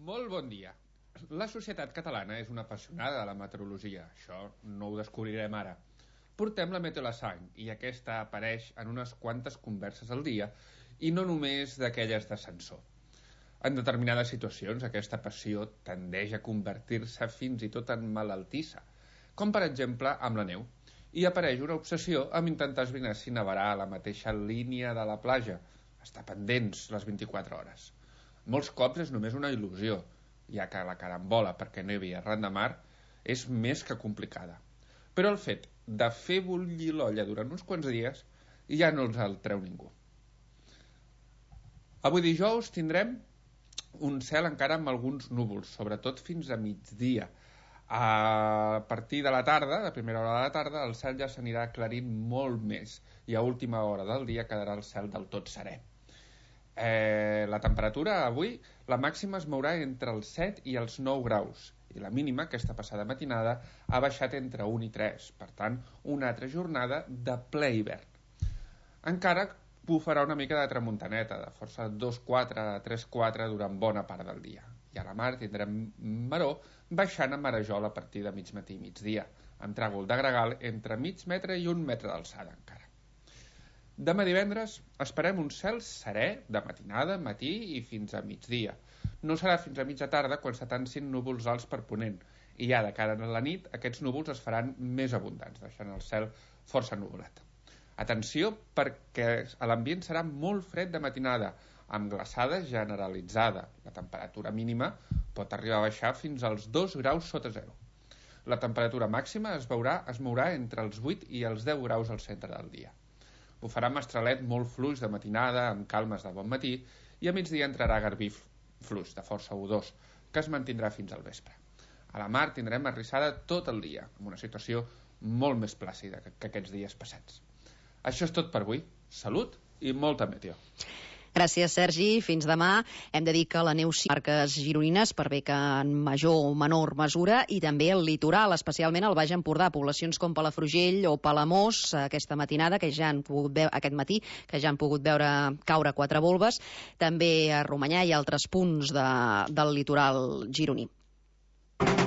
Molt bon dia. La societat catalana és una apassionada de la meteorologia. Això no ho descobrirem ara. Portem la Meteo a la sang i aquesta apareix en unes quantes converses al dia i no només d'aquelles d'ascensor. En determinades situacions aquesta passió tendeix a convertir-se fins i tot en malaltissa, com per exemple amb la neu, i apareix una obsessió amb intentar esbrinar si nevarà a la mateixa línia de la platja, estar pendents les 24 hores. Molts cops és només una il·lusió, ja que la carambola perquè nevi arran de mar és més que complicada. Però el fet de fer bullir l'olla durant uns quants dies ja no els el treu ningú. Avui dijous tindrem un cel encara amb alguns núvols, sobretot fins a migdia. A partir de la tarda, de primera hora de la tarda, el cel ja s'anirà aclarint molt més i a última hora del dia quedarà el cel del tot serè. La temperatura avui, la màxima es mourà entre els 7 i els 9 graus i la mínima, aquesta passada matinada, ha baixat entre 1 i 3, per tant, una altra jornada de ple hivern. Encara bufarà una mica de tramuntaneta, de força 2-4 a 3-4 durant bona part del dia. I a la mar tindrem maror baixant a marejol a partir de mig matí i migdia, amb tràgol de gregal entre mig metre i 1 metre d'alçada encara. Demà divendres esperem un cel serè de matinada, matí i fins a migdia. No serà fins a mitja tarda quan s'atansin núvols alts per ponent i ja de cara a la nit aquests núvols es faran més abundants, deixant el cel força nuvolat. Atenció perquè l'ambient serà molt fred de matinada, amb glaçada generalitzada. La temperatura mínima pot arribar a baixar fins als 2 graus sota zero. La temperatura màxima es mourà entre els 8 i els 10 graus al centre del dia. Bufarà mestralet molt fluix de matinada, amb calmes de bon matí, i a migdia entrarà garbí fluix, de força U2, que es mantindrà fins al vespre. A la mar tindrem arrissada tot el dia, amb una situació molt més plàcida que aquests dies passats. Això és tot per avui. Salut i molta meteo. Gràcies, Sergi. Fins demà. Hem de dir que la neu sí marques gironines, per bé que en major o menor mesura, i també el litoral, especialment al Baix Empordà, poblacions com Palafrugell o Palamós, aquesta matinada, que ja han pogut veure, aquest matí, que ja han pogut veure caure 4 volves, també a Romanyà i altres punts del litoral gironí.